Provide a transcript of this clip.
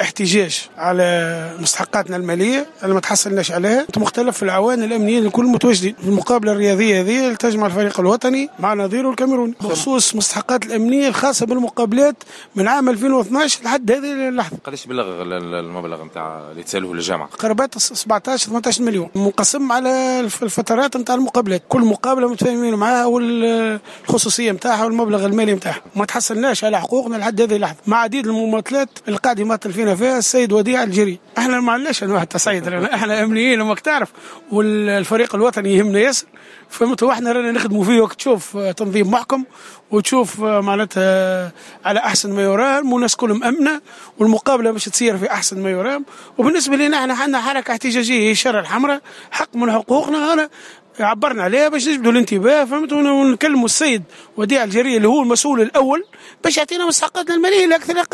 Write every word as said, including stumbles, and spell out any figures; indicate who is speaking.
Speaker 1: احتجاج على مستحقاتنا المالية اللي ما تحصلناش عليها. مختلف العوان الامنيين الكل متواجدين في المقابلة الرياضية هذه اللي تجمع الفريق الوطني مع نظيره الكاميروني بخصوص مستحقات الامنية الخاصة بالمقابلات من عام ألفين واثناش لحد هذه اللحظة.
Speaker 2: قداش بلغ المبلغ نتاع اللي تسالوه للجامعة؟
Speaker 1: قرابات سبعطاش ثمنطاش مليون، منقسم على الفترات نتاع المقابلات، كل مقابله متفاهمين معاها والخصوصيه نتاعها والمبلغ المالي نتاعها. ما تحصلناش على حقوقنا لحد هذه اللحظة مع عديد المماطلات اللي قاعد يماطل فينا فيها السيد وديع الجري. احنا ما عندناش انواع التصعيد، احنا امنيين وماك تعرف، والفريق الوطني يهمنا ياسر، فهمت؟ واحنا رانا نخدموا فيه وقت تشوف تنظيم محكم وتشوف معناتها على احسن ما يرام، والناس كلهم امنه، والمقابلة باش تصير في احسن ما يرام. وبالنسبة لنا احنا عندنا حركة احتجاجية هي الشارع الحمراء، حق من حقوقنا، انا عبرنا عليها باش نجبدوا الانتباه، فهمت؟ ونكلموا السيد وديع الجري اللي هو المسؤول الاول باش يعطينا مستحقاتنا المالية لا اكثر اقل.